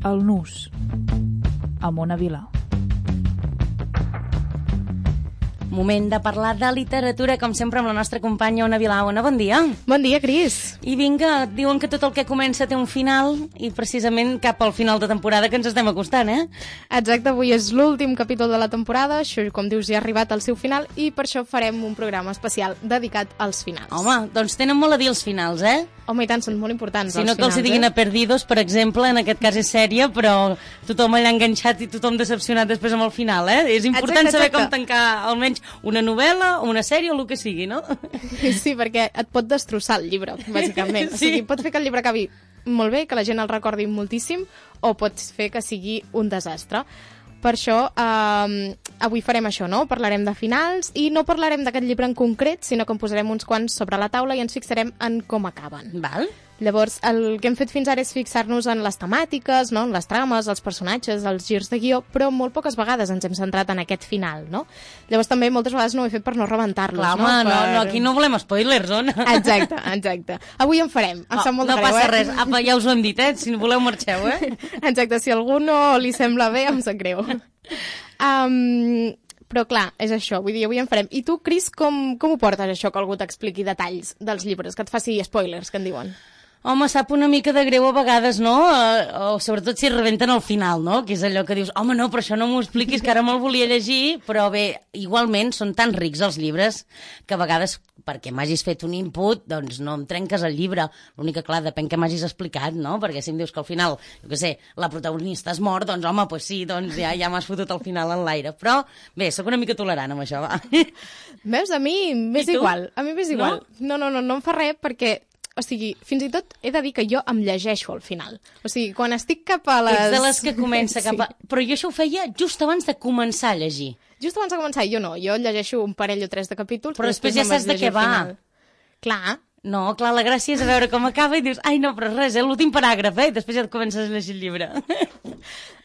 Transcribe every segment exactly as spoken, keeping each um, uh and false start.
El Nus, amb Ona Vilà. Moment de parlar de literatura, com sempre, amb la nostra companya Ona Vilà. Ona, bon dia. Bon dia, Cris. I vinga, diuen que tot el que comença té un final, i precisament cap al final de temporada que ens estem acostant, eh? Exacte, avui és l'últim capítol de la temporada, això, com dius, ja ha arribat al seu final, i per això farem un programa especial dedicat als finals. Home, doncs tenen molt a dir els finals, eh? Home, i tant, són molt importants si els no finals, que els hi diguin eh? a Perdidos, per exemple, en aquest cas és sèrie, però tothom allà enganxat i tothom decepcionat després amb el final, eh? És important exacte, saber exacte. com tancar almenys una novel·la, una sèrie o el que sigui, no? Sí, perquè et pot destrossar el llibre, bàsicament. Sí. O sigui, pot fer que el llibre acabi molt bé, que la gent el recordi moltíssim, o pot fer que sigui un desastre. Per això, eh, avui farem això, no? Parlarem de finals i no parlarem d'aquest llibre en concret, sinó que en posarem uns quants sobre la taula i ens fixarem en com acaben. Val. Llavors, el que hem fet fins ara és fixar-nos en les temàtiques, no? En les trames, els personatges, els girs de guió, però molt poques vegades ens hem centrat en aquest final, no? Llavors també moltes vegades no ho he fet per no rebentar-los, Clar, no? home, Per... no, no, aquí no volem spoilers, Ona. Exacte, exacte. Avui en farem, em No, sap molt no de greu, passa eh? res, apa, ja us ho hem dit, eh? Si no voleu marxeu, eh? Exacte, si a algú no li sembla bé, em sap greu. Um, però clar, és això, vull dir, avui en farem. I tu, Cris, com, com ho portes, això, que algú t'expliqui detalls dels llibres, que et faci spoilers, que en diuen? Home, sap una mica de greu a vegades, no? O, o sobretot si rebenten al final, no? Que és allò que dius, home, no, però això no m'ho expliquis, que ara me'l volia llegir, però bé, igualment són tan rics els llibres que a vegades, perquè m'hagis fet un input, doncs no em trenques el llibre. L'únic que, clar, depèn que m'hagis explicat, no? Perquè si em dius que al final, jo què sé, la protagonista es mor, doncs home, doncs sí, doncs ja, ja m'has fotut al final en l'aire. Però bé, sóc una mica tolerant amb això, va. Veus, a mi m'és igual, a mi m'és igual. No? no, no, no, no em fa res perquè... O sigui, fins i tot he de dir que jo em llegeixo al final. O sigui, quan estic cap a les... Ets de les que comença cap a... Sí. Però jo això ho feia just abans de començar a llegir. Just abans de començar, jo no. Jo llegeixo un parell o tres de capítols... Però després ja me'n saps vaig de què llegir al va. final. Clar. No, clar, la gràcia és a veure com acaba i dius, ai no, però res, és l'últim paràgraf, eh? I després ja et comences a llegir el llibre.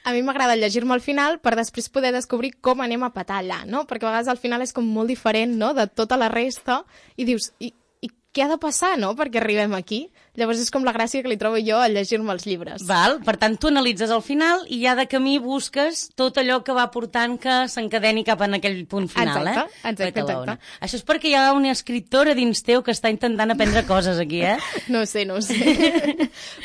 A mi m'agrada llegir-me al final per després poder descobrir com anem a petar allà, no? Perquè a vegades al final és com molt diferent, no?, de tota la resta, i dius... I, i què ha de passar, no?, perquè arribem aquí. Llavors és com la gràcia que li trobo jo a llegir-me els llibres. Val, per tant, tu analitzes el final i ja de camí busques tot allò que va portant que s'encadeni cap en aquell punt final, exacte, eh? Exacte, exacte. Això és perquè hi ha una escriptora dins teu que està intentant aprendre coses aquí, eh? No ho sé, no ho sé.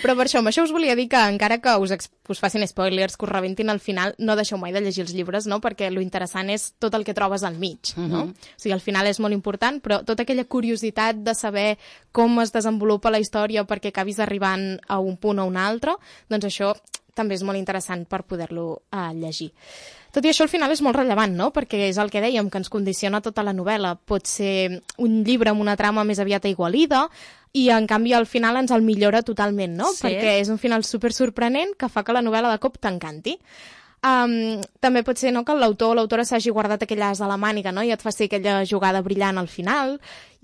Però per això, amb això us volia dir que encara que us, us facin spoilers, que us rebentin al final, no deixeu mai de llegir els llibres, no? Perquè lo interessant és tot el que trobes al mig, no? Uh-huh. O sigui, al final és molt important, però tota aquella curiositat de saber com es desenvolupa la història perquè acabis arribant a un punt o un altre, doncs això també és molt interessant per poder-lo uh, llegir. Tot i això, al final és molt rellevant, no? Perquè és el que dèiem, que ens condiciona tota la novel·la. Pot ser un llibre amb una trama més aviat aigualida i, en canvi, al final ens el millora totalment, no? Sí. Perquè és un final super sorprenent que fa que la novel·la de cop t'encanti. Um, també pot ser, no?, que l'autor o l'autora s'hagi guardat aquella as de la màniga, no?, i et fa ser aquella jugada brillant al final,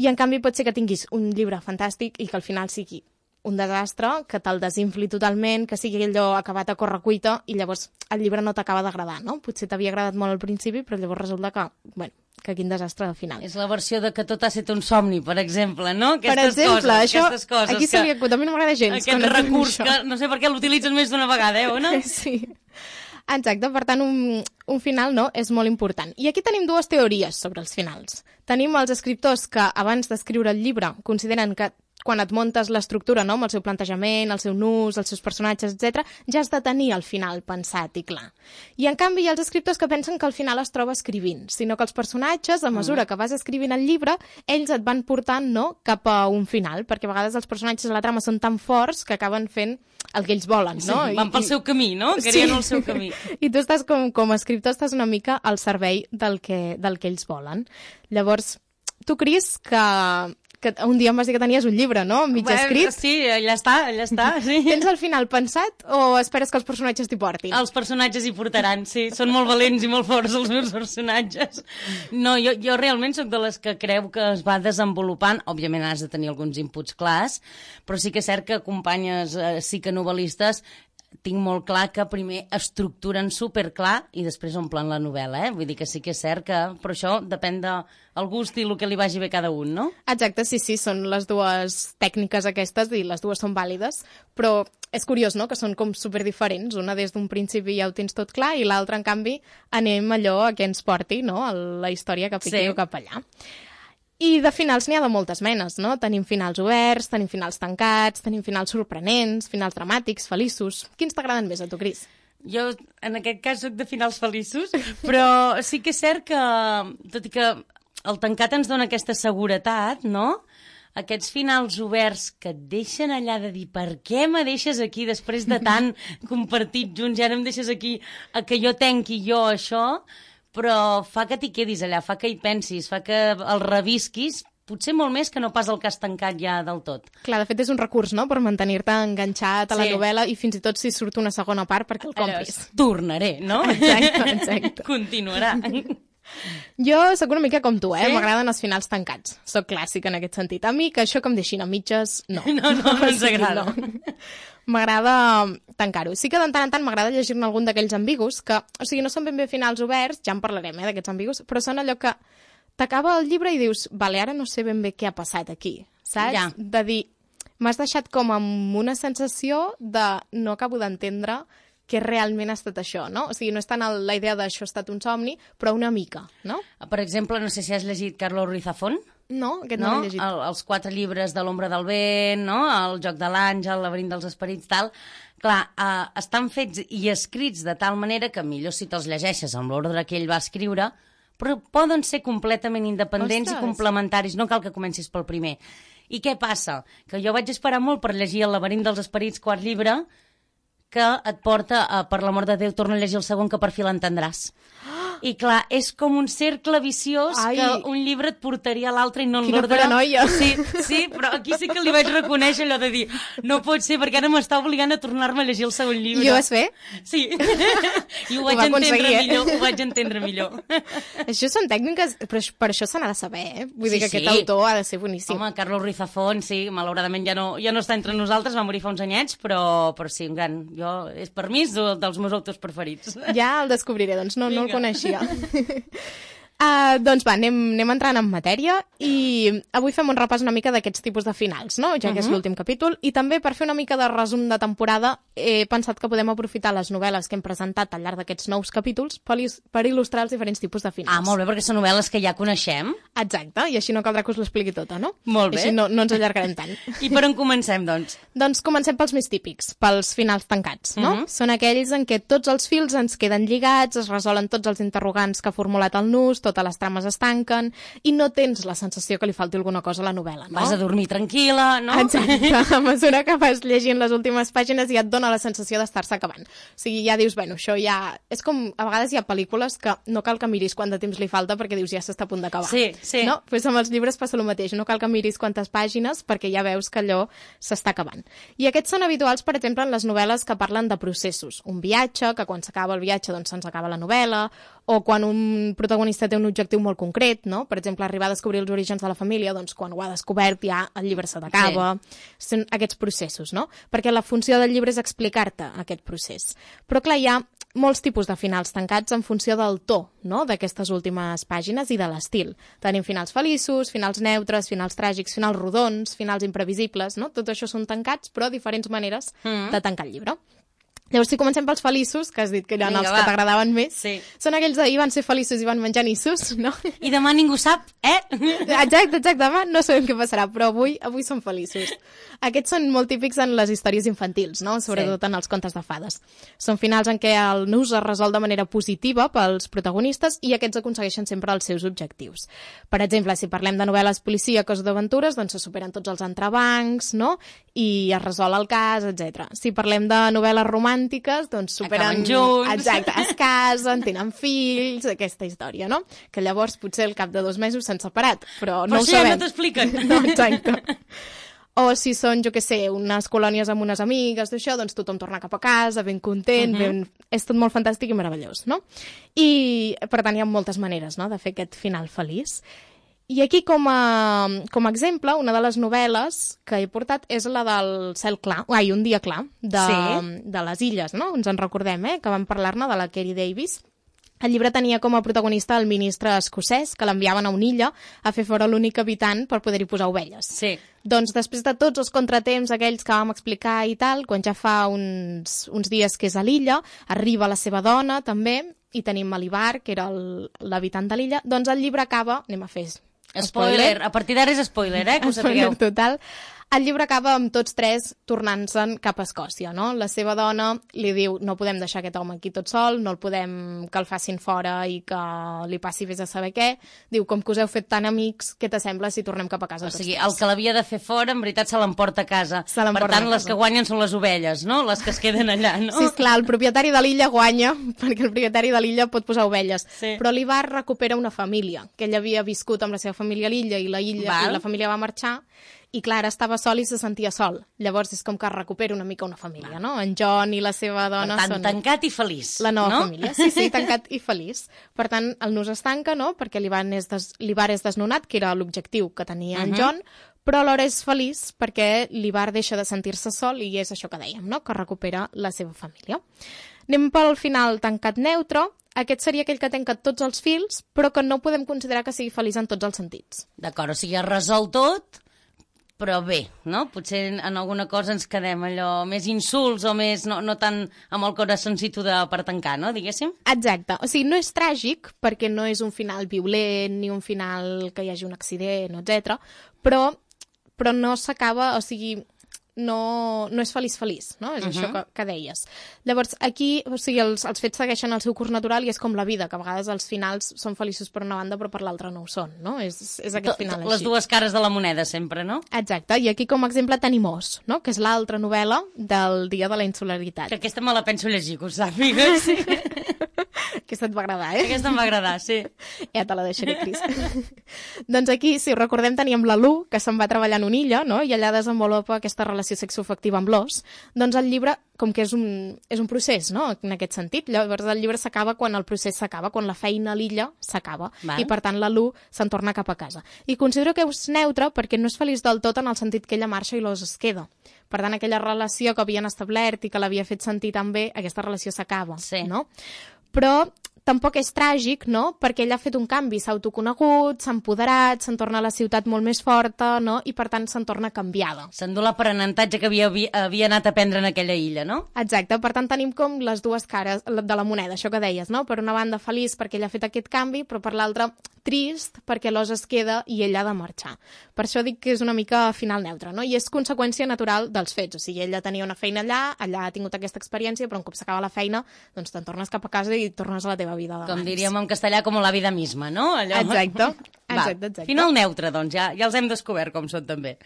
i en canvi pot ser que tinguis un llibre fantàstic i que al final sigui un desastre, que te'l desinfli totalment, que sigui allò acabat a correcuita i llavors el llibre no t'acaba d'agradar, no? Potser t'havia agradat molt al principi, però llavors resulta que, bueno, que quin desastre al final. És la versió de que tot ha estat un somni, per exemple, no? Aquestes per exemple, coses, això, aquestes coses aquí que... se li acut, a mi no m'agrada gens. Aquest recurs que no sé per què l'utilitzes més d'una vegada, eh, Ona? Sí. Exacte, per tant, un, un final no és molt important. I aquí tenim dues teories sobre els finals. Tenim els escriptors que, abans d'escriure el llibre, consideren que quan et muntes l'estructura, no?, amb el seu plantejament, el seu nus, els seus personatges, etcètera, ja has de tenir el final pensat i clar. I, en canvi, hi ha els escriptors que pensen que el final es troba escrivint, sinó que els personatges, a mesura que vas escrivint el llibre, ells et van portant, no?, cap a un final, perquè a vegades els personatges de la trama són tan forts que acaben fent el que ells volen, no? Sí, van pel I, seu camí, no? Querien sí. el seu camí. I tu estàs com, com a escriptor estàs una mica al servei del que, del que ells volen. Llavors, tu, Cris, que, que un dia em vas dir que tenies un llibre, no?, mig Bé, escrit. Sí, allà està, allà està, sí. Tens el final pensat o esperes que els personatges t'hi portin? Els personatges hi portaran, sí. Són molt valents i molt forts els meus personatges. No, jo, jo realment sóc de les que creu que es va desenvolupant. Òbviament has de tenir alguns inputs clars, però sí que és cert que companyes eh, psiconovel·listes tinc molt clar que primer estructuren superclar i després omplen la novel·la, eh? Vull dir que sí que és cert que... Però això depèn del gust i el que li vagi bé a cada un, no? Exacte, sí, sí, són les dues tècniques aquestes i les dues són vàlides, però és curiós, no?, que són com superdiferents. Una des d'un principi ja ho tens tot clar i l'altra, en canvi, anem allò a què ens porti, no?, a la història que piqui sí. cap allà. I de finals n'hi ha de moltes menes, no? Tenim finals oberts, tenim finals tancats, tenim finals sorprenents, finals dramàtics, feliços. Quins t'agraden més a tu, Cris? Jo, en aquest cas, soc de finals feliços, però sí que és cert que, tot i que el tancat ens dona aquesta seguretat, no?, aquests finals oberts que et deixen allà de dir per què me deixes aquí després de tant compartit junts i ara em deixes aquí a que jo tenqui jo això, però fa que t'hi quedis allà, fa que hi pensis, fa que el revisquis, potser molt més que no pas el que has tancat ja del tot. Clar, de fet és un recurs, no?, per mantenir-te enganxat a la sí. novel·la i fins i tot si surt una segona part perquè el compris. Allò, tornaré, no? Exacte, exacte. Continuarà. Jo sóc una mica com tu, eh? Sí? M'agraden els finals tancats. Soc clàssica en aquest sentit. A mi que això que em deixin a mitges, no. No, no, no ens agrada. No. M'agrada tancar-ho. Sí que de tant en tant m'agrada llegir-ne algun d'aquells ambigus que, o sigui, no són ben bé finals oberts, ja en parlarem, eh, d'aquests ambigus, però són allò que t'acaba el llibre i dius, vale, ara no sé ben bé què ha passat aquí, saps? Ja. De dir, m'has deixat com amb una sensació de no acabo d'entendre què realment ha estat això, no? O sigui, no és tant el, la idea d'això ha estat un somni, però una mica, no? Per exemple, no sé si has llegit Carlos Ruiz Zafón. No, aquest no, no l'he llegit. El, els quatre llibres de l'ombra del vent, no? El joc de l'àngel, el laberint dels esperits, tal. Clar, eh, estan fets i escrits de tal manera que millor si te'ls llegeixes amb l'ordre que ell va escriure, però poden ser completament independents Ostres. i complementaris, no cal que comencis pel primer. I què passa? Que jo vaig esperar molt per llegir el laberint dels esperits, quart llibre, que et porta a, per l'amor de Déu, torna a llegir el segon que per fi l'entendràs. I clar, és com un cercle viciós Ai. que un llibre et portaria a l'altre i no en l'ordre. Quina paranoia. Sí, sí, però aquí sí que li vaig reconèixer allò de dir no pot ser, perquè ara m'està obligant a tornar-me a llegir el segon llibre. I ho vas fer? Sí. I ho, ho vaig entendre eh? millor, ho vaig entendre millor. Això són tècniques, però per això se n'ha de saber, eh? Vull sí, dir que sí. aquest autor ha de ser boníssim. Home, Carlos Ruiz Zafón, sí, malauradament ja no, ja no està entre nosaltres, va morir fa uns anyets, però, però sí, un gran... Jo, és per mi és dels meus autors preferits. Ja el descobriré, doncs no, no el coneixia. Uh, doncs va, anem, anem entrant en matèria i avui fem un repàs una mica d'aquests tipus de finals, no? Ja que uh -huh. és l'últim capítol, i també per fer una mica de resum de temporada he pensat que podem aprofitar les novel·les que hem presentat al llarg d'aquests nous capítols per, per il·lustrar els diferents tipus de finals. Ah, molt bé, perquè són novel·les que ja coneixem. Exacte, i així no caldrà que us l'expliqui tota, no? Molt bé. I així no, no ens allargarem tant. I per on comencem, doncs? Doncs comencem pels més típics, pels finals tancats, no? Uh -huh. Són aquells en què tots els fils ens queden lligats, es resolen tots els interrogants que ha formulat el nus, totes les trames estan tanquen i no tens la sensació que li falti alguna cosa a la novel·la, no? Vas a dormir tranquil·la, no? Exacte, a mesura que vas llegint les últimes pàgines ja et dona la sensació d'estar-se acabant. O sigui, ja dius, bueno, això ja... És com, a vegades hi ha pel·lícules que no cal que miris quant de temps li falta perquè dius, ja s'està a punt d'acabar. Sí, sí. No? Pues amb els llibres passa el mateix, no cal que miris quantes pàgines perquè ja veus que allò s'està acabant. I aquests són habituals, per exemple, en les novel·les que parlen de processos. Un viatge, que quan s'acaba el viatge doncs se'ns acaba la novel·la, o quan un protagonista té un objectiu molt concret, no? Per exemple, arribar a descobrir els orígens de la família, doncs quan ho ha descobert ja el llibre se t'acaba. Sí. Són aquests processos, no? Perquè la funció del llibre és explicar-te aquest procés. Però clar, hi ha molts tipus de finals tancats en funció del to, no?, d'aquestes últimes pàgines i de l'estil. Tenim finals feliços, finals neutres, finals tràgics, finals rodons, finals imprevisibles, no? Tot això són tancats, però diferents maneres mm. de tancar el llibre. Llavors, si comencem pels feliços, que has dit que eren Vinga, els va. que t'agradaven més, sí. són aquells d'ahir van ser feliços i van menjar nissos, no? I demà ningú sap, eh? Exacte, exacte, demà no sabem què passarà, però avui avui són feliços. Aquests són molt típics en les històries infantils, no? Sobretot sí. en els contes de fades. Són finals en què el nus es resol de manera positiva pels protagonistes i aquests aconsegueixen sempre els seus objectius. Per exemple, si parlem de novel·les policíaques o d'aventures, doncs se superen tots els entrebancs, no? I es resol el cas, etcètera. Si parlem de novel·les romàntiques, doncs superen... Acaben junts. Exacte, es casen, tenen fills, aquesta història, no? Que llavors potser al cap de dos mesos s'han separat, però no però ho sí, sabem. no t'expliquen. No, exacte. O si són, jo què sé, unes colònies amb unes amigues, d'això, doncs tothom torna cap a casa, ben content, uh -huh. ben... és tot molt fantàstic i meravellós, no? I, per tant, hi ha moltes maneres, no?, de fer aquest final feliç. I aquí, com a, com a exemple, una de les novel·les que he portat és la del Cel clar, ai, Un dia clar, de, sí. de les Illes, no? Ens en recordem, eh? Que vam parlar-ne, de la Kerry Davis. El llibre tenia com a protagonista el ministre escocès, que l'enviaven a una illa a fer fora l'únic habitant per poder-hi posar ovelles. Sí. Doncs després de tots els contratemps aquells que vam explicar i tal, quan ja fa uns, uns dies que és a l'illa, arriba la seva dona també, i tenim l'Ivar, que era l'habitant de l'illa, doncs el llibre acaba, anem a fer spoiler, spoiler. A partir d'ara és spoiler, eh, que ho sapigueu. Spoiler total. El llibre acaba amb tots tres tornant-se'n cap a Escòcia, no? La seva dona li diu, no podem deixar aquest home aquí tot sol, no el podem que el facin fora i que li passi vés a saber què. Diu, com que us heu fet tan amics, què t'assembla si tornem cap a casa o tots sigui, tres? El que l'havia de fer fora, en veritat, se l'emporta a casa. Se l'emporta per tant, a casa. Les que guanyen són les ovelles, no? Les que es queden allà, no? Sí, esclar, el propietari de l'illa guanya, perquè el propietari de l'illa pot posar ovelles. Sí. Però l'Ivar recupera una família, que ell havia viscut amb la seva família a l'illa i la, illa, i la família va marxar, i clar, estava sol i se sentia sol. Llavors és com que recupera una mica una família, no? En John i la seva dona per tant, són... tancat i feliç, la nova no? família, sí, sí, tancat i feliç. Per tant, el nus es tanca, no?, perquè l'Ivar és, des... és desnonat, que era l'objectiu que tenia uh -huh. en John, però alhora és feliç perquè l'Ivar deixa de sentir-se sol i és això que dèiem, no?, que recupera la seva família. Anem pel final tancat neutre. Aquest seria aquell que tanca tots els fils, però que no podem considerar que sigui feliç en tots els sentits. D'acord, o sigui, es resol tot, però bé, no? Potser en alguna cosa ens quedem allò més insults o més, no, no tant amb el corazoncito de per tancar, no? Diguéssim. Exacte. O sigui, no és tràgic, perquè no és un final violent, ni un final que hi hagi un accident, etcètera, però, però no s'acaba, o sigui... no, no és feliç-feliç, no? És uh -huh. això que, que deies. Llavors, aquí, o sigui, els, els fets segueixen el seu curs natural i és com la vida, que a vegades els finals són feliços per una banda però per l'altra no ho són, no? És, és aquest final així. Les dues cares de la moneda sempre, no? Exacte, i aquí com a exemple tenim Os, no? Que és l'altra novel·la del Dia de la Insularitat. Que aquesta me la penso llegir, que ho sàpigues. Sí. Aquesta et va agradar, eh? Aquesta em va agradar, sí. Ja te la deixaré, Cris. Doncs aquí, si ho recordem, teníem la Lu, que se'n va treballar en una illa, no? I allà desenvolupa aquesta relació sexoafectiva amb l'os. Doncs el llibre, com que és un, és un procés, no?, en aquest sentit. Llavors el llibre s'acaba quan el procés s'acaba, quan la feina a l'illa s'acaba. I per tant la Lu se'n torna cap a casa. I considero que és neutre perquè no és feliç del tot en el sentit que ella marxa i l'os es queda. Per tant, aquella relació que havien establert i que l'havia fet sentir tan bé, aquesta relació s'acaba, sí. no? Però tampoc és tràgic, no?, perquè ell ha fet un canvi, s'ha autoconegut, s'ha empoderat, se'n torna a la ciutat molt més forta, no?, i per tant se'n torna canviada. S'endú l'aprenentatge que havia, havia anat a prendre en aquella illa, no? Exacte, per tant tenim com les dues cares de la moneda, això que deies, no? Per una banda feliç perquè ell ha fet aquest canvi, però per l'altra trist perquè l'os es queda i ell ha de marxar. Per això dic que és una mica final neutre, no? I és conseqüència natural dels fets, o sigui, ella tenia una feina allà, allà ha tingut aquesta experiència, però un cop s'acaba la feina, doncs te'n tornes cap a casa i tornes a la teva vida d'abans. Com diríem en castellà, com la vida misma, no? Allò... Exacte, exacte, exacte. Final neutre, doncs, ja, ja els hem descobert com són també.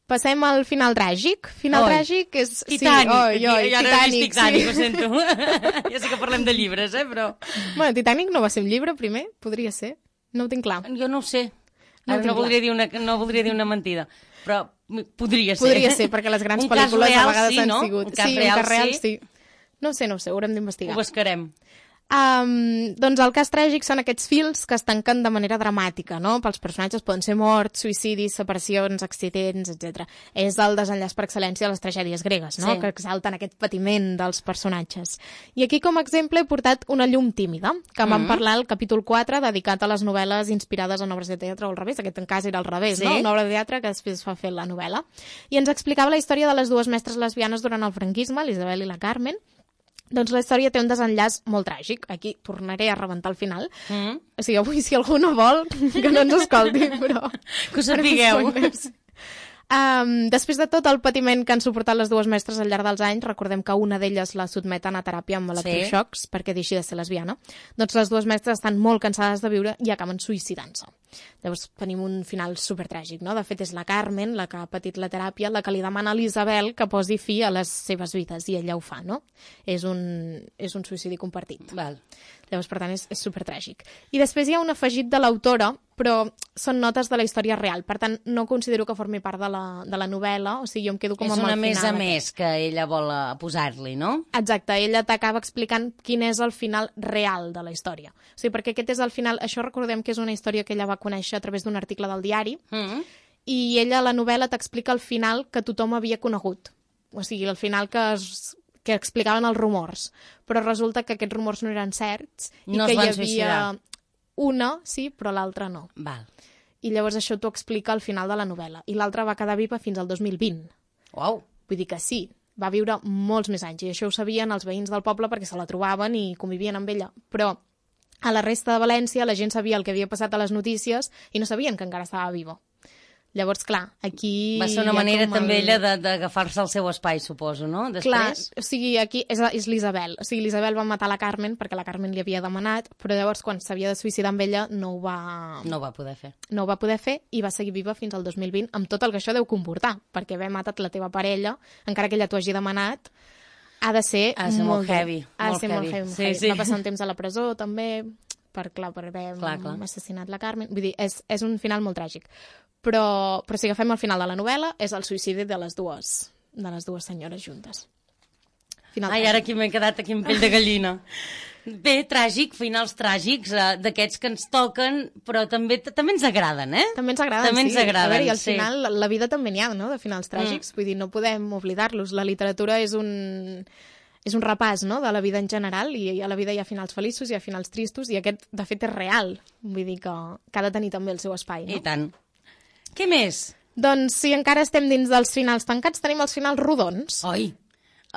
Passem al final tràgic. Final oi. tràgic és... Titanic. Sí, oi, oi, ja no Titanic, he vist Titanic, sí. ho sento. Ja sé que parlem de llibres, eh, però... Bueno, Titanic no va ser un llibre, primer? Podria ser? No ho tinc clar. Jo no ho sé. No, Ara no, voldria dir una, no voldria dir una mentida, però podria ser. Podria ser, perquè les grans un cas pel·lícules real, a vegades sí, han no? sigut... Un cas sí, real, un cas real, sí. sí. No sé, no ho sé, ho haurem d'investigar. Ho buscarem. Um, doncs el cas tràgic són aquests fils que es tanquen de manera dramàtica, no? Pels personatges poden ser morts, suïcidis, separacions, accidents, etcètera. És el desenllaç per excel·lència de les tragèdies gregues, no? Sí. Que exalten aquest patiment dels personatges. I aquí com a exemple he portat Una llum tímida, que en mm. vam parlar al capítol quatre, dedicat a les novel·les inspirades en obres de teatre o al revés. Aquest en cas era al revés, sí. no? Una obra de teatre que després fa fer la novel·la. I ens explicava la història de les dues mestres lesbianes durant el franquisme, l'Isabel i la Carmen. Doncs la història té un desenllaç molt tràgic. Aquí tornaré a rebentar al final. Mm. O sigui, avui si algú no vol, que no ens escolti, però... Que ho sapigueu. Um, després de tot el patiment que han suportat les dues mestres al llarg dels anys, recordem que una d'elles la sotmeten a teràpia amb electroxocs sí. perquè deixi de ser lesbiana, doncs les dues mestres estan molt cansades de viure i acaben suïcidant-se. Llavors tenim un final supertràgic, no? De fet és la Carmen, la que ha patit la teràpia, la que li demana a l'Isabel que posi fi a les seves vides i ella ho fa, no? És un, és un suïcidi compartit. Val. Llavors, per tant, és, és supertràgic. I després hi ha un afegit de l'autora, però són notes de la història real. Per tant, no considero que formi part de la, de la novel·la, o sigui, jo em quedo com és amb el final. És una més a més que ella vol eh, posar-li, no? Exacte, ella t'acaba explicant quin és el final real de la història. O sigui, perquè aquest és el final... Això recordem que és una història que ella va conèixer a través d'un article del diari, mm-hmm. i ella, a la novel·la, t'explica el final que tothom havia conegut. O sigui, el final que es... que explicaven els rumors, però resulta que aquests rumors no eren certs i no que hi havia suïcidar. Una, sí, però l'altra no. Val. I llavors això t'ho explica al final de la novel·la. I l'altra va quedar viva fins al dos mil vint. Uau! Vull dir que sí, va viure molts més anys, i això ho sabien els veïns del poble perquè se la trobaven i convivien amb ella. Però a la resta de València la gent sabia el que havia passat a les notícies i no sabien que encara estava viva. Llavors, clar, aquí... Va ser una manera també el... ella d'agafar-se el seu espai, suposo, no? Després... Clar, o sigui, aquí és, és l'Isabel. O sigui, l'Isabel va matar la Carmen perquè la Carmen li havia demanat, però llavors quan s'havia de suïcidar amb ella no ho va... No ho va poder fer. No ho va poder fer i va seguir viva fins al dos mil vint amb tot el que això deu comportar, perquè haver matat la teva parella, encara que ella t'ho hagi demanat, ha de ser, ha de ser molt, molt heavy. Ha de molt ser heavy. molt heavy. Molt sí, heavy. sí. Va passar un temps a la presó, també, per, clar, per haver clar, clar. assassinat la Carmen. Vull dir, és, és un final molt tràgic. Però, però si agafem el final de la novel·la, és el suïcidi de les dues, de les dues senyores juntes. Final Ai, tràgic. ara aquí m'he quedat aquí amb pell de gallina. Bé, tràgic, finals tràgics, eh, d'aquests que ens toquen, però també també ens agraden, eh? També ens agraden, també sí. Ens agraden, a veure, i al sí. final, la, la vida també n'hi ha, no?, de finals tràgics. Mm. Vull dir, no podem oblidar-los. La literatura és un... és un repàs, no?, de la vida en general, i a la vida hi ha finals feliços, hi ha finals tristos, i aquest, de fet, és real. Vull dir que, que ha de tenir també el seu espai, no? I tant. Què més? Doncs si encara estem dins dels finals tancats, tenim els finals rodons. Oi,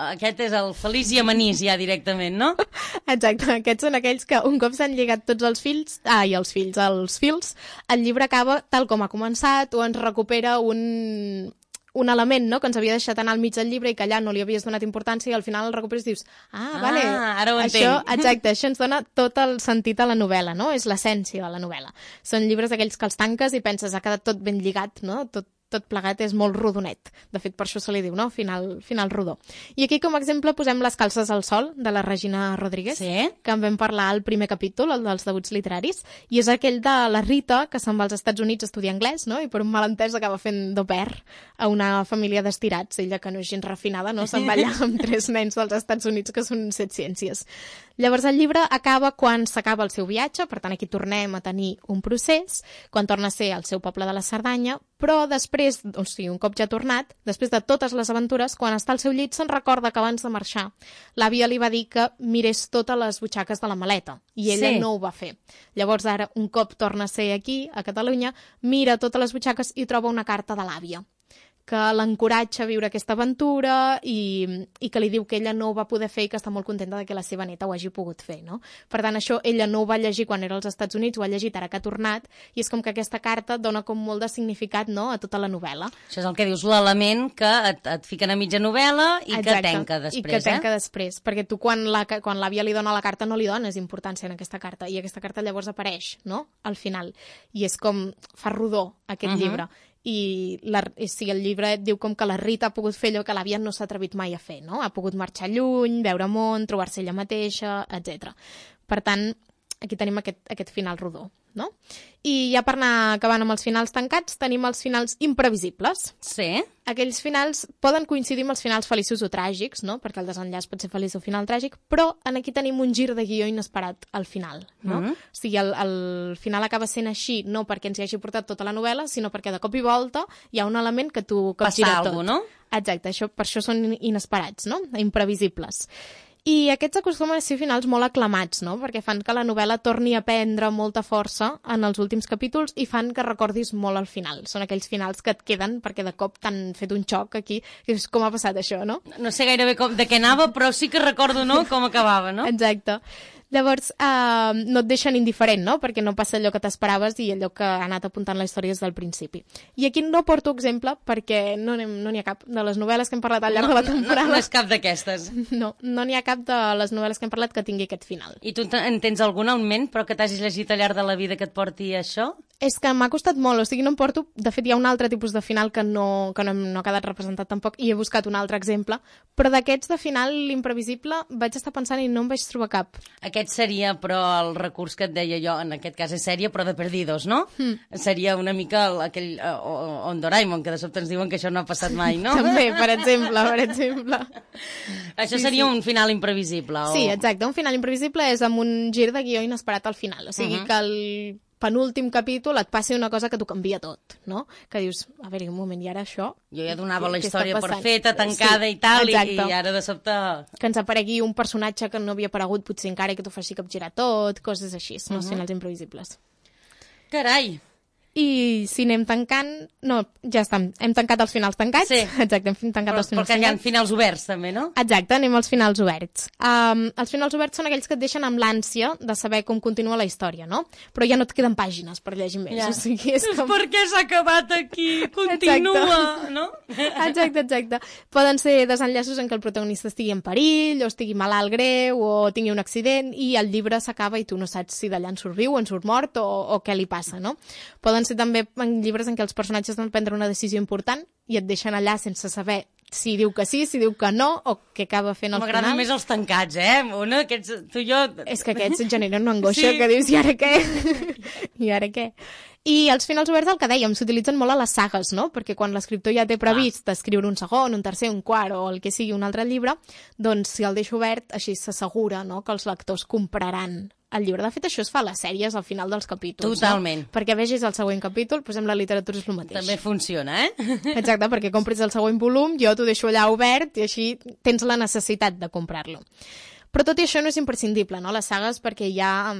aquest és el feliç i amanís ja directament, no? Exacte, aquests són aquells que un cop s'han lligat tots els fils, ah, i els fills, els fils, el llibre acaba tal com ha començat o ens recupera un... un element, no?, que ens havia deixat anar al mig del llibre i que allà no li havies donat importància i al final el recuperes i dius, ah, ah vale, ara ho això, entenc. exacte, això ens dona tot el sentit a la novel·la, no? És l'essència de la novel·la. Són llibres d'aquells que els tanques i penses, ha quedat tot ben lligat, no?, tot, tot plegat és molt rodonet. De fet, per això se li diu, no?, final, final rodó. I aquí, com a exemple, posem Les calces al sol, de la Regina Rodríguez, sí? que en vam parlar al primer capítol, el dels debuts literaris, i és aquell de la Rita, que se'n va als Estats Units a estudiar anglès, no?, i per un malentès acaba fent d'au pair a una família d'estirats. Ella, que no és gens refinada, no?, se'n va allà amb tres nens dels Estats Units, que són set ciències. Llavors, el llibre acaba quan s'acaba el seu viatge, per tant, aquí tornem a tenir un procés, quan torna a ser al seu poble de la Cerdanya, però després, o sigui, un cop ja tornat, després de totes les aventures, quan està al seu llit se'n recorda que abans de marxar l'àvia li va dir que mirés totes les butxaques de la maleta, i ella sí. no ho va fer. Llavors ara, un cop torna a ser aquí, a Catalunya, mira totes les butxaques i troba una carta de l'àvia que l'encoratja a viure aquesta aventura i, i que li diu que ella no ho va poder fer i que està molt contenta de que la seva neta ho hagi pogut fer, no? Per tant, això ella no ho va llegir quan era als Estats Units, ho ha llegit ara que ha tornat, i és com que aquesta carta dona com molt de significat, no?, a tota la novel·la. Això és el que dius, l'element que et, et fiquen a mitja novel·la i Exacte. que tenca després, I que tenca eh? després, perquè tu quan la, quan l'àvia li dona la carta no li dones importància en aquesta carta, i aquesta carta llavors apareix, no?, al final. I és com, fa rodó aquest uh-huh. llibre. I, la, i sí, el llibre et diu com que la Rita ha pogut fer allò que l'àvia no s'ha atrevit mai a fer, no? Ha pogut marxar lluny, veure món, trobar-se ella mateixa, etcètera. Per tant, aquí tenim aquest, aquest final rodó, no? I ja per anar acabant amb els finals tancats, tenim els finals imprevisibles. Sí. Aquells finals poden coincidir amb els finals feliços o tràgics, no?, perquè el desenllaç pot ser feliç o final tràgic, però aquí tenim un gir de guió inesperat al final, no? Mm-hmm. O sigui, el, el final acaba sent així, no perquè ens hi hagi portat tota la novel·la, sinó perquè de cop i volta hi ha un element que tu capgira tot. Passa alguna cosa, no? Exacte, això, per això són inesperats, no?, imprevisibles. I aquests acostumen a ser finals molt aclamats, no?, perquè fan que la novel·la torni a prendre molta força en els últims capítols i fan que recordis molt al final. Són aquells finals que et queden perquè de cop t'han fet un xoc aquí, que és com ha passat això, no? No sé gairebé com, de què anava, però sí que recordo, no?, com acabava, no? Exacte. Llavors, eh, no et deixen indiferent, no?, perquè no passa allò que t'esperaves i allò que ha anat apuntant la història des del principi. I aquí no porto exemple perquè no n'hi no ha cap de les novel·les que hem parlat al llarg no, de la temporada. No, no és cap d'aquestes. No, no n'hi ha cap de les novel·les que hem parlat que tingui aquest final. I tu en tens alguna en ment, però que t'hagis llegit al llarg de la vida que et porti això? És que m'ha costat molt, o sigui, no em porto... De fet, hi ha un altre tipus de final que no, que no, no ha quedat representat tampoc i he buscat un altre exemple, però d'aquests de final, l'imprevisible, vaig estar pensant i no em vaig trobar cap. aquest seria, però, el recurs que et deia jo, en aquest cas és sèrie, però de Perdidos, no? Mm. Seria una mica el, aquell uh, on Doraemon, que de sobte ens diuen que això no ha passat mai, no? També, per exemple, per exemple. Això sí, seria sí. un final imprevisible. O... Sí, exacte, un final imprevisible és amb un gir de guió inesperat al final, o sigui uh -huh. que el penúltim capítol et passi una cosa que t'ho canvia tot, no? Que dius, a veure, un moment, i ara això... Jo ja donava la història per feta, tancada sí, i tal, i, i ara de sobte... Que ens aparegui un personatge que no havia aparegut potser encara i que t'ho faci capgirar tot, coses així, no? Uh -huh. Els finals imprevisibles. Carai! I si anem tancant... No, ja està, hem tancat els finals tancats. Sí. Exacte, hem tancat però, els finals tancats. Perquè hi ha tancats. finals oberts, també, no? Exacte, anem als finals oberts. Um, els finals oberts són aquells que et deixen amb l'ànsia de saber com continua la història, no? Però ja no et queden pàgines per llegir més. Ja. O sigui, és com... Per què s'ha acabat aquí? Continua, exacte. No? Exacte, exacte. Poden ser desenllaços en què el protagonista estigui en perill, o estigui malalt greu, o tingui un accident, i el llibre s'acaba i tu no saps si d'allà en surt viu, en surt mort, o, o què li passa, no? Poden ser també en llibres en què els personatges han de prendre una decisió important i et deixen allà sense saber si diu que sí, si diu que no, o què acaba fent al final. M'agraden més els tancats, eh? Una, aquests, tu i jo... És que aquests et generen una angoixa sí. que dius, i ara què? I ara què? I els finals oberts, el que dèiem, s'utilitzen molt a les sagues, no? Perquè quan l'escriptor ja té previst ah. escriure un segon, un tercer, un quart, o el que sigui un altre llibre, doncs si el deixa obert, així s'assegura, no?, que els lectors compraran el llibre. De fet, això es fa a les sèries al final dels capítols. Totalment. No? Perquè vegis el següent capítol, doncs amb la literatura és el mateix. També funciona, eh? Exacte, perquè compris el següent volum, jo t'ho deixo allà obert i així tens la necessitat de comprar-lo. Però tot i això no és imprescindible, no?, les sagues, perquè hi ha,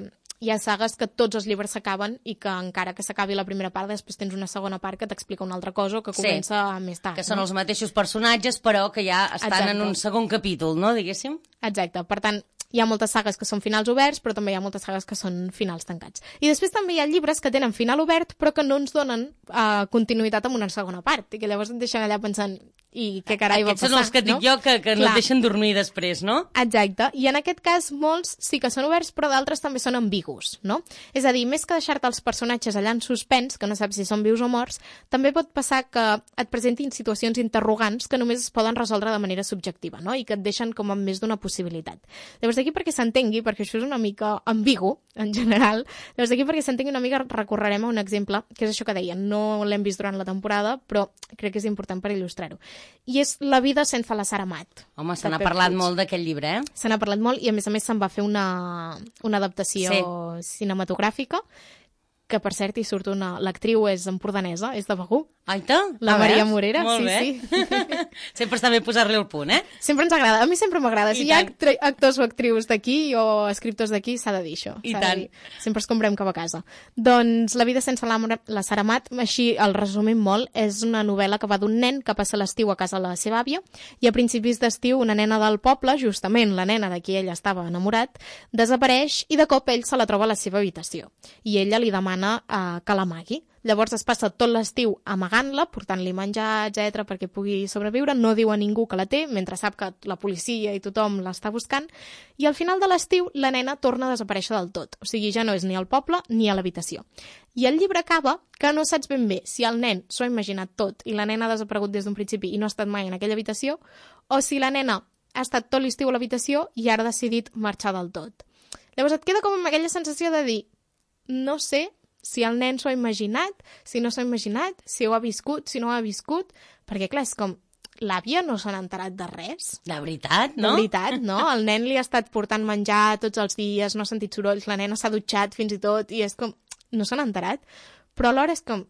hi ha sagues que tots els llibres s'acaben i que encara que s'acabi la primera part, després tens una segona part que t'explica una altra cosa o que comença sí, més tard. Que són no? els mateixos personatges, però que ja estan Exacte. En un segon capítol, no?, diguéssim? Exacte, per tant, hi ha moltes sagues que són finals oberts, però també hi ha moltes sagues que són finals tancats. I després també hi ha llibres que tenen final obert, però que no ens donen uh, continuïtat amb una segona part, i que llavors et deixen allà pensant i què carai va passar. Aquests són els que dic no? jo que, que no et deixen dormir després, no? Exacte, i en aquest cas molts sí que són oberts, però d'altres també són ambigus, no? És a dir, més que deixar-te els personatges allà en suspens, que no saps si són vius o morts, també pot passar que et presentin situacions interrogants que només es poden resoldre de manera subjectiva, no? I que et deixen com amb més d'una possibilitat. Llavors d'aquí perquè s'entengui, perquè això és una mica ambigu, en general, llavors d'aquí perquè s'entengui una mica recorrerem a un exemple, que és això que deia, no l'hem vist durant la temporada, però crec que és important per il·lustrar-ho. I és La vida sense la Sara Mat. Home, se n'ha parlat molt d'aquest llibre, eh? Se n'ha parlat molt i a més a més se'n va fer una, una adaptació sí. cinematogràfica, que per cert hi surt una... L'actriu és empordanesa, és de Begur. Aita? La Maria Morera, molt sí, bé. sí. Sempre està bé posar-li el punt, eh? Sempre ens agrada, a mi sempre m'agrada. Si hi ha actors o actrius d'aquí o escriptors d'aquí, s'ha de dir això. I tant. Sempre escombrem cap a casa. Doncs La vida sense la, la Sara Mat, així el resumim molt, és una novel·la que va d'un nen que passa l'estiu a casa de la seva àvia i a principis d'estiu una nena del poble, justament la nena de qui ell estava enamorat, desapareix i de cop ell se la troba a la seva habitació. I ella li demana eh, que l'amagui. Llavors es passa tot l'estiu amagant-la, portant-li menjar, etcètera, perquè pugui sobreviure, no diu a ningú que la té, mentre sap que la policia i tothom l'està buscant, i al final de l'estiu la nena torna a desaparèixer del tot, o sigui, ja no és ni al poble ni a l'habitació. I el llibre acaba que no saps ben bé si el nen s'ho ha imaginat tot i la nena ha desaparegut des d'un principi i no ha estat mai en aquella habitació, o si la nena ha estat tot l'estiu a l'habitació i ara ha decidit marxar del tot. Llavors et queda com amb aquella sensació de dir, no sé si el nen s'ho ha imaginat, si no s'ho ha imaginat, si ho ha viscut, si no ho ha viscut, perquè clar, és com, l'àvia no s'ha enterat de res. De veritat, no? De veritat, no? El nen li ha estat portant menjar tots els dies, no ha sentit sorolls, la nena s'ha dutxat fins i tot, i és com, no s'han enterat, però alhora és com,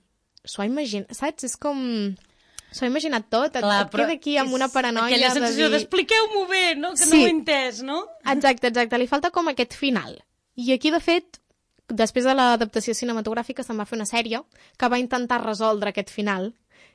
s'ho ha imaginat, saps? És com... S'ho ha imaginat tot, et, Clar, et queda aquí amb una paranoia aquella sensació de dir... d'expliqueu-m'ho bé, no? Que sí. no ho he entès, no? Exacte, exacte, li falta com aquest final. I aquí, de fet, després de l'adaptació cinematogràfica se'n va fer una sèrie que va intentar resoldre aquest final,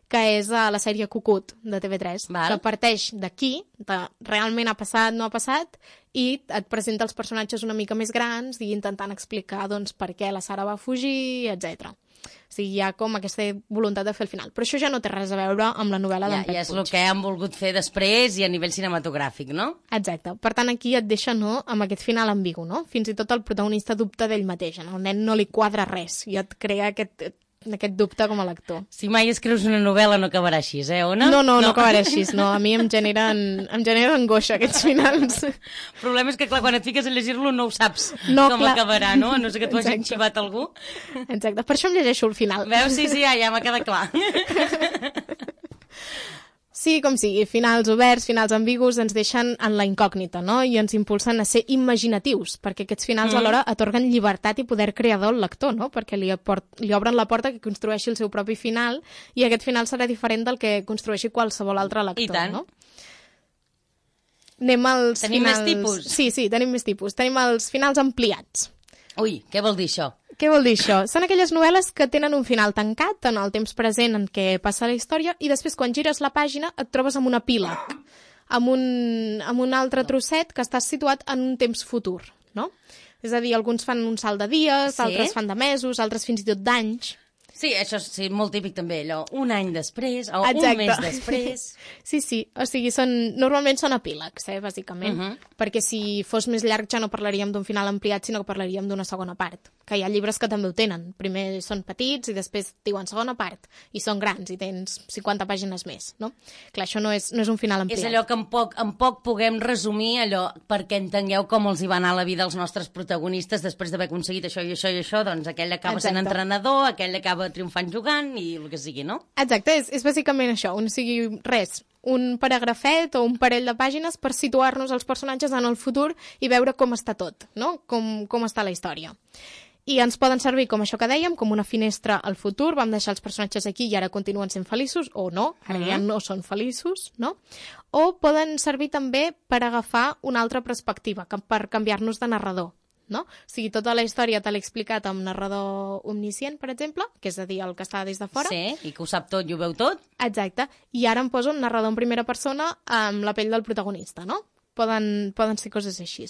que és uh, la sèrie Cucut, de T V tres, Val. Que parteix d'aquí, de realment ha passat, no ha passat, i et presenta els personatges una mica més grans i intentant explicar doncs, per què la Sara va fugir, etcètera. O sigui, hi ha com aquesta voluntat de fer el final. Però això ja no té res a veure amb la novel·la d'en ja, Pep ja és Puig. el que han volgut fer després i a nivell cinematogràfic, no? Exacte. Per tant, aquí et deixa no, amb aquest final ambigu, no? Fins i tot el protagonista dubta d'ell mateix. No? El nen no li quadra res i et crea aquest aquest dubte com a lector. Si mai escrius una novel·la no acabarà així, eh, Ona? No, no, no, no acabarà així, no. A mi em generen, em generen angoixa aquests finals. El problema és que, clar, quan et fiques a llegir-lo no ho saps no, com clar. acabarà, no? A no ser que t'ho hagi xivat algú. Exacte, per això em llegeixo el final. Veus? Sí, sí, ja, ja m'ha quedat clar. Sí, com sigui, finals oberts, finals ambigus, ens deixen en la incògnita, no? I ens impulsen a ser imaginatius, perquè aquests finals mm. alhora atorguen llibertat i poder creador al lector, no? Perquè li, aport, li obren la porta que construeixi el seu propi final i aquest final serà diferent del que construeixi qualsevol altre lector, I tant. No? Anem als tenim finals... més tipus? Sí, sí, tenim més tipus. Tenim els finals ampliats. Ui, què vol dir això? Què vol dir això? Són aquelles novel·les que tenen un final tancat en el temps present en què passa la història i després quan gires la pàgina et trobes amb un epíleg, amb un, amb un altre trosset que està situat en un temps futur, no? És a dir, alguns fan un salt de dies, Sí? altres fan de mesos, altres fins i tot d'anys. Sí, això és sí, molt típic també, allò, un any després o Exacte. un mes després. Sí, sí, o sigui, són, normalment són epílegs, eh, bàsicament, Uh-huh. perquè si fos més llarg ja no parlaríem d'un final ampliat, sinó que parlaríem d'una segona part, que hi ha llibres que també ho tenen. Primer són petits i després diuen segona part, i són grans i tens cinquanta pàgines més, no? Clar, això no és, no és un final ampliat. És allò que en poc, en poc puguem resumir, allò, perquè entengueu com els hi va anar la vida als nostres protagonistes després d'haver aconseguit això i això i això, doncs aquell acaba Exacte. sent entrenador, aquell acaba triomfant jugant i el que sigui, no? Exacte, és, és bàsicament això, o sigui, res, un paragrafet o un parell de pàgines per situar-nos els personatges en el futur i veure com està tot, no? Com, com està la història. I ens poden servir, com això que dèiem, com una finestra al futur, vam deixar els personatges aquí i ara continuen sent feliços, o no, ara ja no són feliços, no? O poden servir també per agafar una altra perspectiva, que- per canviar-nos de narrador, no? O sigui, tota la història te l'he explicat amb narrador omniscient, per exemple, que és a dir, el que està des de fora. Sí, i que ho sap tot i ho veu tot. Exacte. I ara em poso un narrador en primera persona amb la pell del protagonista, no? Poden, poden ser coses així.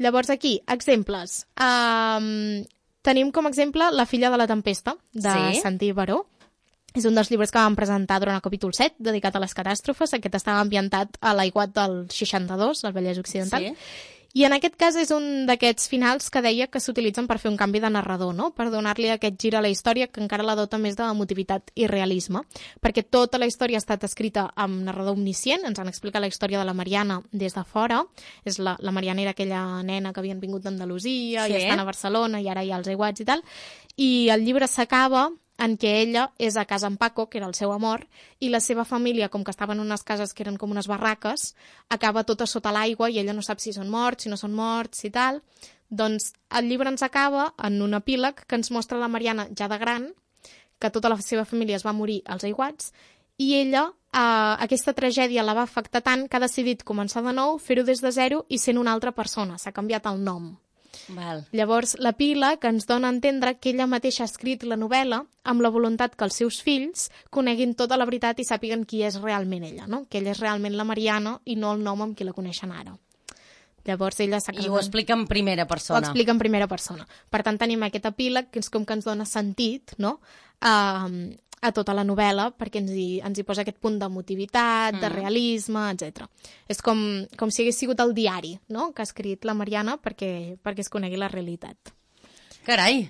Llavors aquí, exemples. Um, tenim com a exemple La filla de la tempesta, de Sí. Santi Baró. És un dels llibres que vam presentar durant el capítol set, dedicat a les catàstrofes. Aquest estava ambientat a l'aiguat del seixanta-dos, al Vallès Occidental. Sí. I en aquest cas és un d'aquests finals que deia que s'utilitzen per fer un canvi de narrador, no? Per donar-li aquest gir a la història que encara la dota més d'emotivitat i realisme, perquè tota la història ha estat escrita amb narrador omniscient, ens han explicat la història de la Mariana des de fora, és la, la Mariana era aquella nena que havien vingut d'Andalusia Sí. i estan a Barcelona i ara hi ha els aiguats i tal, i el llibre s'acaba en què ella és a casa amb Paco, que era el seu amor, i la seva família, com que estaven en unes cases que eren com unes barraques, acaba tota sota l'aigua i ella no sap si són morts, si no són morts i tal. Doncs el llibre ens acaba en un epíleg que ens mostra la Mariana ja de gran, que tota la seva família es va morir als aiguats, i ella, eh, aquesta tragèdia la va afectar tant que ha decidit començar de nou, fer-ho des de zero i sent una altra persona. S'ha canviat el nom. Val. Llavors, la pila que ens dona a entendre que ella mateixa ha escrit la novel·la amb la voluntat que els seus fills coneguin tota la veritat i sàpiguen qui és realment ella, no? Que ella és realment la Mariana i no el nom amb qui la coneixen ara. Llavors ella s'ha I ho explica en primera Ho persona. explica en primera persona. Per tant, tenim aquest epíleg que és com que ens dona sentit, no?, a, a tota la novel·la, perquè ens hi, ens hi posa aquest punt d'emotivitat, mm. de realisme, etcètera. És com, com si hagués sigut el diari, no?, que ha escrit la Mariana perquè, perquè es conegui la realitat. Carai!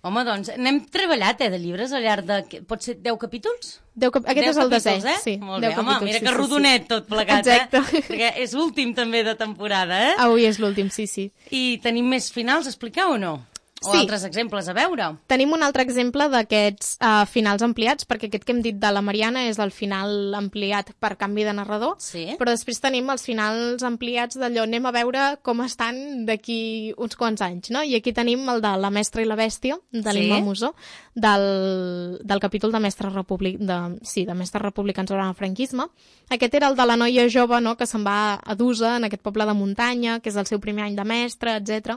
Home, doncs, n'hem treballat, eh, de llibres al llarg de... Pot ser deu capítols? Deu cap... Aquest deu és el desè, capítols, eh? sí. Molt deu bé, home, capítols, mira sí, que sí, rodonet sí. tot plegat, Exacte. eh? Perquè és l'últim també de temporada, eh? Avui és l'últim, sí, sí. I tenim més finals a explicar o no? O Sí. altres exemples a veure? Tenim un altre exemple d'aquests uh, finals ampliats, perquè aquest que hem dit de la Mariana és el final ampliat per canvi de narrador, Sí. però després tenim els finals ampliats d'allò, anem a veure com estan d'aquí uns quants anys, no? I aquí tenim el de La mestra i la bèstia, de l'Imma Sí. Musó, del, del capítol de Mestres Republic, de, sí, de Mestres Republicans durant el franquisme. Aquest era el de la noia jove, no?, que se'n va a Dusa, en aquest poble de muntanya, que és el seu primer any de mestre, etcètera.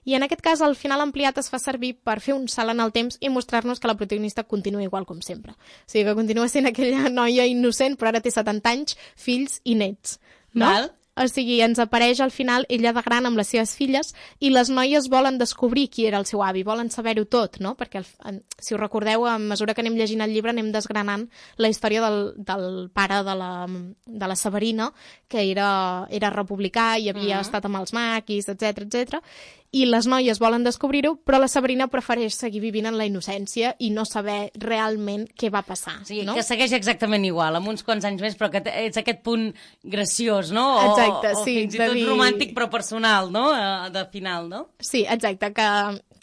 I en aquest cas el final ampliat es fa servir per fer un salt en el temps i mostrar-nos que la protagonista continua igual com sempre. O sigui, que continua sent aquella noia innocent, però ara té setanta anys, fills i nets. No? Val. O sigui, ens apareix al final ella de gran amb les seves filles i les noies volen descobrir qui era el seu avi, volen saber-ho tot, no? Perquè, el, si us recordeu, a mesura que anem llegint el llibre anem desgranant la història del, del pare de la, de la Severina, que era, era republicà i havia uh-huh. estat amb els maquis, etcètera, etcètera. I les noies volen descobrir-ho, però la Sabrina prefereix seguir vivint en la innocència i no saber realment què va passar. Sí, no? Que segueix exactament igual, amb uns quants anys més, però que és aquest punt graciós, no? O, exacte, o, sí. O fins i tot dir... romàntic, però personal, no? De final, no? Sí, exacte, que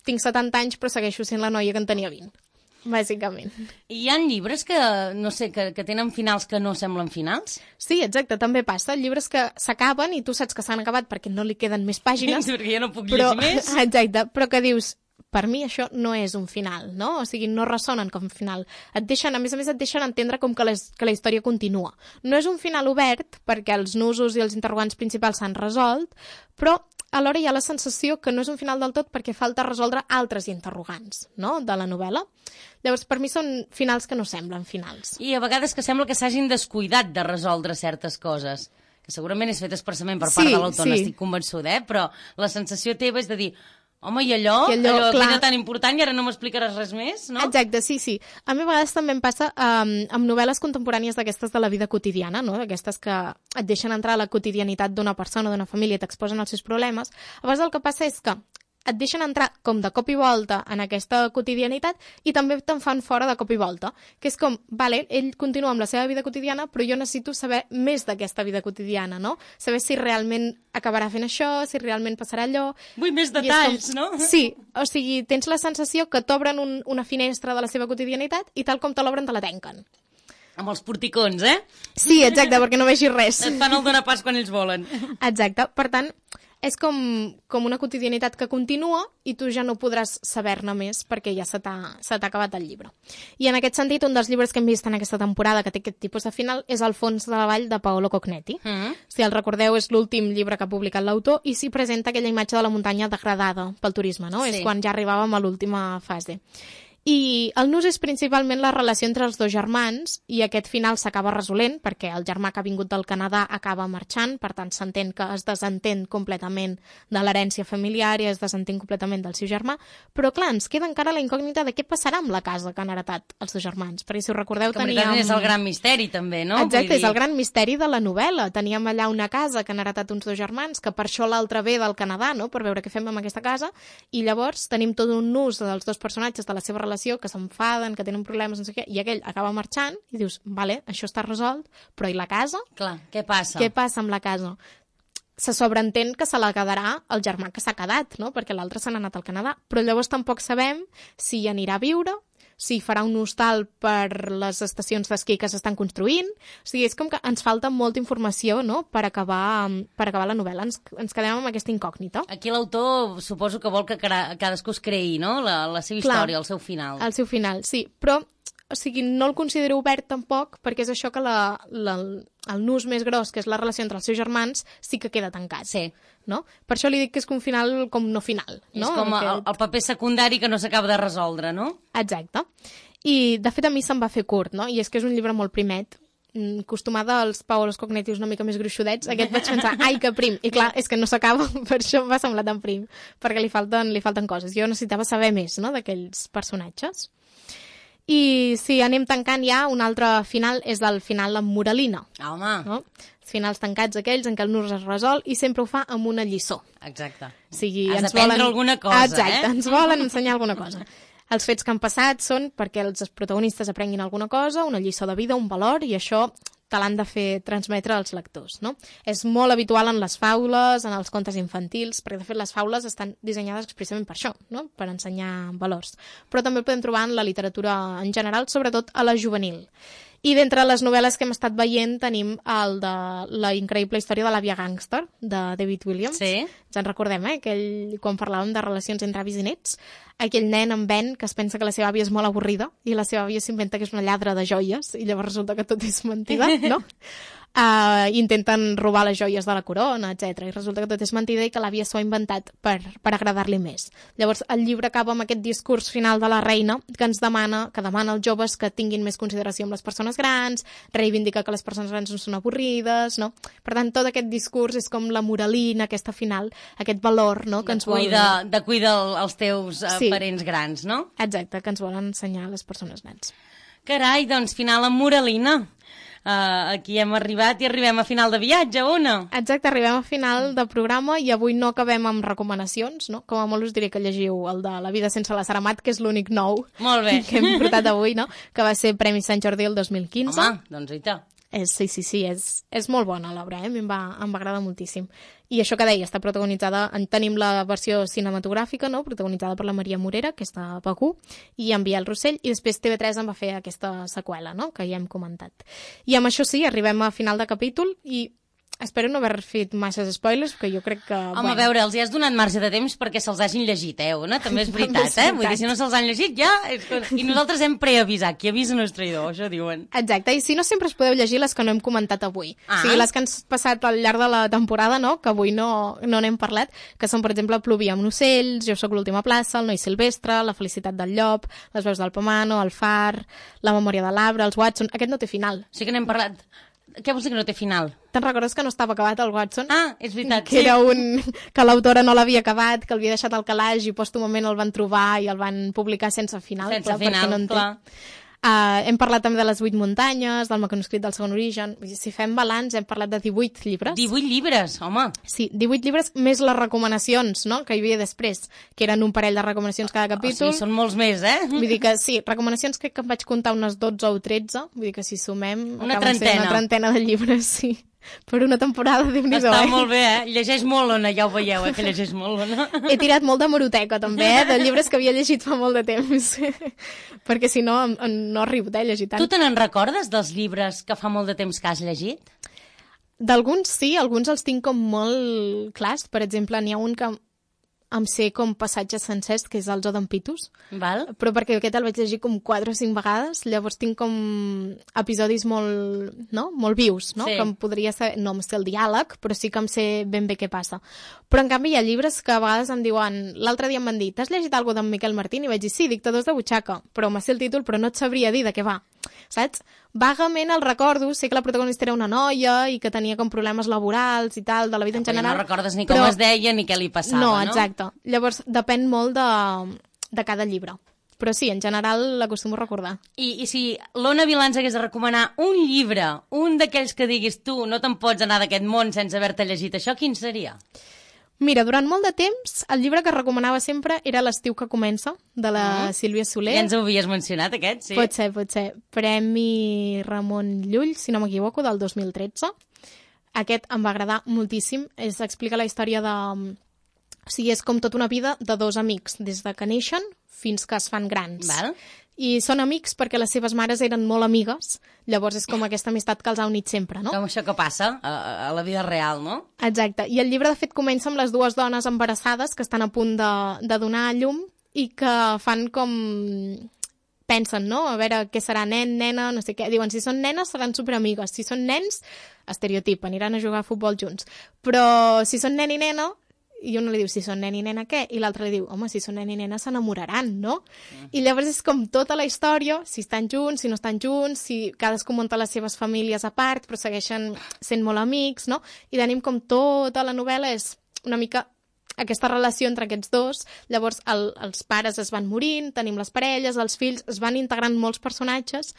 tinc setanta anys però segueixo sent la noia que en tenia vint, bàsicament. I hi ha llibres que, no sé, que, que tenen finals que no semblen finals? Sí, exacte, també passa. Llibres que s'acaben i tu saps que s'han acabat perquè no li queden més pàgines. Perquè ja no puc però, llegir més. Exacte, però que dius, per mi això no és un final, no? O sigui, no ressonen com final. Et deixen, a més a més, et deixen entendre com que, les, que la història continua. No és un final obert, perquè els nusos i els interrogants principals s'han resolt, però alhora hi ha la sensació que no és un final del tot perquè falta resoldre altres interrogants, no?, de la novel·la. Llavors, per mi són finals que no semblen finals. I a vegades que sembla que s'hagin descuidat de resoldre certes coses, que segurament és fet expressament per part sí, de l'autor, sí. n'estic convençuda, eh? Però la sensació teva és de dir, home, i allò, I allò, allò clar. que era tan important i ara no m'explicaràs res més, no? Exacte, sí, sí. A mi a vegades també em passa um, amb novel·les contemporànies d'aquestes de la vida quotidiana, no? D'aquestes que et deixen entrar a la quotidianitat d'una persona, d'una família, t'exposen els seus problemes. A vegades el que passa és que et deixen entrar com de cop i volta en aquesta quotidianitat i també te'n fan fora de cop i volta. Que és com, vale, ell continua amb la seva vida quotidiana, però jo necessito saber més d'aquesta vida quotidiana, no? Saber si realment acabarà fent això, si realment passarà allò... Vull més detalls, com... no? Sí, o sigui, tens la sensació que t'obren un, una finestra de la seva quotidianitat i tal com te l'obren te la tanquen. Amb els porticons, eh? Sí, exacte, perquè no vegis res. Et fan el donar pas quan ells volen. Exacte, per tant... És com, com una quotidianitat que continua i tu ja no podràs saber-ne més perquè ja se t'ha se t'ha acabat el llibre. I en aquest sentit, un dels llibres que hem vist en aquesta temporada que té aquest tipus de final és El fons de la vall de Paolo Cognetti. Mm-hmm. Si el recordeu, és l'últim llibre que ha publicat l'autor i s'hi presenta aquella imatge de la muntanya degradada pel turisme, no? Sí. És quan ja arribàvem a l'última fase. I el nus és principalment la relació entre els dos germans i aquest final s'acaba resolent perquè el germà que ha vingut del Canadà acaba marxant, per tant s'entén que es desentén completament de l'herència familiar i es desentén completament del seu germà, però clar, ens queda encara la incògnita de què passarà amb la casa que han heretat els dos germans, perquè si us recordeu que teníem... és el gran misteri també, no? Exacte, Vull dir... és el gran misteri de la novel·la. Teníem allà una casa que han heretat uns dos germans, que per això l'altre ve del Canadà, no?, per veure què fem amb aquesta casa, i llavors tenim tot un nus dels dos personatges de la seva relació que s'enfaden, que tenen problemes, no sé què, i aquell acaba marxant i dius, vale, això està resolt, però i la casa? Clar, què passa? Què passa amb la casa? Se sobreentén que se la quedarà el germà que s'ha quedat, no?, perquè l'altre se n'ha anat al Canadà, però llavors tampoc sabem si hi anirà a viure, si farà un hostal per les estacions d'esquí que s'estan construint. O sigui, és com que ens falta molta informació, no?, per acabar, per acabar la novel·la. Ens, ens quedem amb aquesta incògnita. Aquí l'autor suposo que vol que cadascú es creï, no?, la, la seva Clar, història, el seu final. El seu final, sí. Però, o sigui, no el considero obert tampoc, perquè és això que la, la, el nus més gros, que és la relació entre els seus germans, sí que queda tancat. Sí. No? Per això li dic que és un final com no final. No? És com Aquest... el, el paper secundari que no s'acaba de resoldre, no? Exacte. I, de fet, a mi se'm va fer curt, no? I és que és un llibre molt primet. Acostumada als Paolos Cognitius una mica més gruixudets, aquest vaig pensar, ai, que prim. I clar, és que no s'acaba, per això em va semblar tan prim, perquè li falten, li falten coses. Jo necessitava saber més, no?, d'aquells personatges. I si anem tancant ja, un altre final és el final amb moralina. Home! No? Els finals tancats aquells en què el nus es resol i sempre ho fa amb una lliçó. Exacte. O sigui, Has ens d'aprendre volen... alguna cosa, Exacte, eh? ens volen ensenyar alguna cosa. Els fets que han passat són perquè els protagonistes aprenguin alguna cosa, una lliçó de vida, un valor, i això te l'han de fer transmetre als lectors, no? És molt habitual en les faules, en els contes infantils, perquè de fet les faules estan dissenyades expressament per això, no?, per ensenyar valors. Però també el podem trobar en la literatura en general, sobretot a la juvenil. I d'entre les novel·les que hem estat veient tenim el de la increïble història de l'àvia gàngster, de David Williams. Sí. Ens en recordem, eh? Aquell, quan parlàvem de relacions entre avis i nets, aquell nen en Ben que es pensa que la seva àvia és molt avorrida i la seva àvia s'inventa que és una lladra de joies i llavors resulta que tot és mentida, no? Uh, intenten robar les joies de la corona, etcètera. I resulta que tot és mentida i que l'àvia s'ho ha inventat per, per agradar-li més. Llavors, el llibre acaba amb aquest discurs final de la reina que ens demana, que demana als joves que tinguin més consideració amb les persones grans, reivindica que les persones grans no són avorrides, no? Per tant, tot aquest discurs és com la moralina, aquesta final, aquest valor, no?, que de ens vol... Cuida, de cuidar els teus uh, sí. parents grans, no? Exacte, que ens volen ensenyar a les persones grans. Carai, doncs final amb moralina. Uh, aquí hem arribat i arribem a final de viatge, Ona. Exacte, arribem a final de programa i avui no acabem amb recomanacions, no? Com a molt us diré que llegiu el de La vida sense la Sara Amat, que és l'únic nou molt bé. que hem portat avui, no? Que va ser Premi Sant Jordi el dos mil quinze. Home, doncs i tant. És, sí, sí, sí, és, és molt bona l'obra, eh? A mi em va, em va agradar moltíssim. I això que deia, està protagonitzada, en tenim la versió cinematogràfica, no?, protagonitzada per la Maria Morera, que està a P Q, i en Biel Rossell, i després T V tres en va fer aquesta seqüela, no?, que ja hem comentat. I amb això sí, arribem a final de capítol i espero no haver fet masses spoilers, perquè jo crec que... Home, bueno. a veure, els hi has donat marge de temps perquè se'ls hagin llegit, eh, Ona? També és veritat, eh? Vull dir, si no se'ls han llegit, ja... I nosaltres hem preavisat, qui avisa no és traïdor, això diuen. Exacte, i si no sempre es podeu llegir les que no hem comentat avui. Ah. O sigui, les que han passat al llarg de la temporada, no?, que avui no no n'hem parlat, que són, per exemple, Plovia amb ocells, Jo sóc l'última plaça, El noi silvestre, La felicitat del llop, Les veus del Pomano, El far, La memòria de l'arbre, Els Watson... Aquest no té final. Sí que n'hem parlat. Què vols dir que no té final? Te'n recordes que no estava acabat el Watson? Ah, és veritat, que sí. era un... que l'autora no l'havia acabat, que l'havia deixat al calaix i pòstumament el van trobar i el van publicar sense final. Sense clar, final, no clar. Uh, hem parlat també de les vuit muntanyes, del manuscrit del segon origen. Si fem balanç, hem parlat de divuit llibres. divuit llibres, home. Sí, divuit llibres més les recomanacions, no?, que hi havia després, que eren un parell de recomanacions cada capítol. O sigui, són molts més, eh? Vull dir que sí, recomanacions crec que em vaig comptar unes dotze o tretze, vull dir que si sumem... Una acaben sent trentena. Una trentena de llibres, sí. Per una temporada, Déu-n'hi-do, Està eh? molt bé, eh? Llegeix molt, Ona, ja ho veieu, eh? Que llegeix molt, Ona. He tirat molt de meroteca, també, eh? De llibres que havia llegit fa molt de temps. Perquè si no, em- em- no arribo eh, a llegir tant. Tu te n'en recordes dels llibres que fa molt de temps que has llegit? D'alguns sí, alguns els tinc com molt clars. Per exemple, n'hi ha un que em sé com passatges sencers, que és el Zoo d'en Pitus, Val? però perquè aquest el vaig llegir com quatre o cinc vegades, llavors tinc com episodis molt, no? molt vius, no? Sí. Que em podria saber, no em sé el diàleg, però sí que em sé ben bé què passa. Però en canvi hi ha llibres que a vegades em diuen, l'altre dia em van dir, t'has llegit alguna d'en Miquel Martín? I vaig dir, sí, Dictadors de butxaca, però m'ha sé el títol, però no et sabria dir de què va. Saps? Vagament el recordo, sé que la protagonista era una noia i que tenia com problemes laborals i tal, de la vida en Però general. no recordes ni com però... es deia ni què li passava, no? no? Exacte. Llavors, depèn molt de, de cada llibre. Però sí, en general l'acostumo a recordar. I, I si l'Ona Vilà ens hagués de recomanar un llibre, un d'aquells que diguis tu, no te'n pots anar d'aquest món sense haver-te llegit això, quin seria? Mira, durant molt de temps, el llibre que recomanava sempre era L'estiu que comença, de la Mm. Sílvia Soler. Ja ens ho havies mencionat, aquest, sí? Pot ser, pot ser. Premi Ramon Llull, si no m'equivoco, del dos mil tretze. Aquest em va agradar moltíssim. Es explica la història de... O sigui, és com tota una vida de dos amics, des de que neixen fins que es fan grans. Val? I són amics perquè les seves mares eren molt amigues, llavors és com aquesta amistat que els ha unit sempre, no? Com això que passa a, a la vida real, no? Exacte. I el llibre, de fet, comença amb les dues dones embarassades que estan a punt de, de donar a llum i que fan com... pensen, no? A veure què serà nen, nena, no sé què. Diuen, si són nenes seran superamigues. Si són nens, estereotip, aniran a jugar a futbol junts. Però si són nen i nena, i una li diu, si són nen i nena, què? I l'altre li diu, home, si són nen i nena s'enamoraran, no? Mm. I llavors és com tota la història, si estan junts, si no estan junts, si cadascú munta les seves famílies a part, però segueixen sent molt amics, no? I tenim com tota la novel·la és una mica aquesta relació entre aquests dos. Llavors el, els pares es van morint, tenim les parelles, els fills, es van integrant molts personatges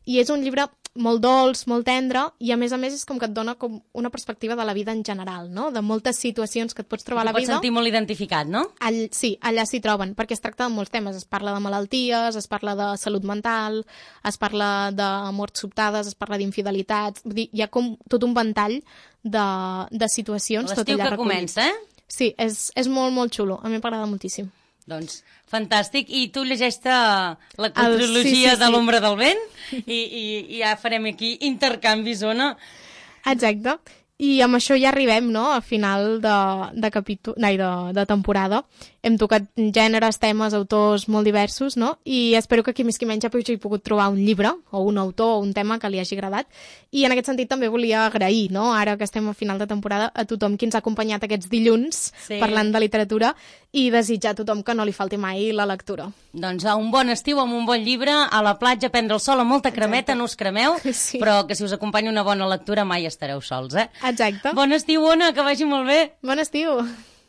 i és un llibre molt dolç, molt tendre i a més a més és com que et dona com una perspectiva de la vida en general, no? De moltes situacions que et pots trobar a la vida. T'hi pots sentir molt identificat, no? All, sí, allà s'hi troben, perquè es tracta de molts temes. Es parla de malalties, es parla de salut mental, es parla de morts sobtades, es parla d'infidelitats. Vull dir, hi ha com tot un ventall de, de situacions. L'estiu que recollit. comença, eh? Sí, és, és molt, molt xulo. A mi m'agrada moltíssim. Doncs, fantàstic. I tu llegeix-te la quadrilogia El- sí, sí, sí. de l'ombra del vent i, i, i ja farem aquí intercanvis, Ona. Exacte. I amb això ja arribem, no?, a final de, de, capítol, no, de, de temporada. Hem tocat gèneres, temes, autors molt diversos, no? I espero que qui més qui menys ja hagi pogut trobar un llibre o un autor o un tema que li hagi agradat. I en aquest sentit també volia agrair, no?, ara que estem a final de temporada, a tothom qui ens ha acompanyat aquests dilluns sí. parlant de literatura i desitjar a tothom que no li falti mai la lectura. Doncs a un bon estiu amb un bon llibre, a la platja, prendre el sol amb molta cremeta, Exacte. No us cremeu, sí. però que si us acompanya una bona lectura mai estareu sols, eh? Exacte. Bon estiu, Ona, que vagi molt bé. Bon estiu.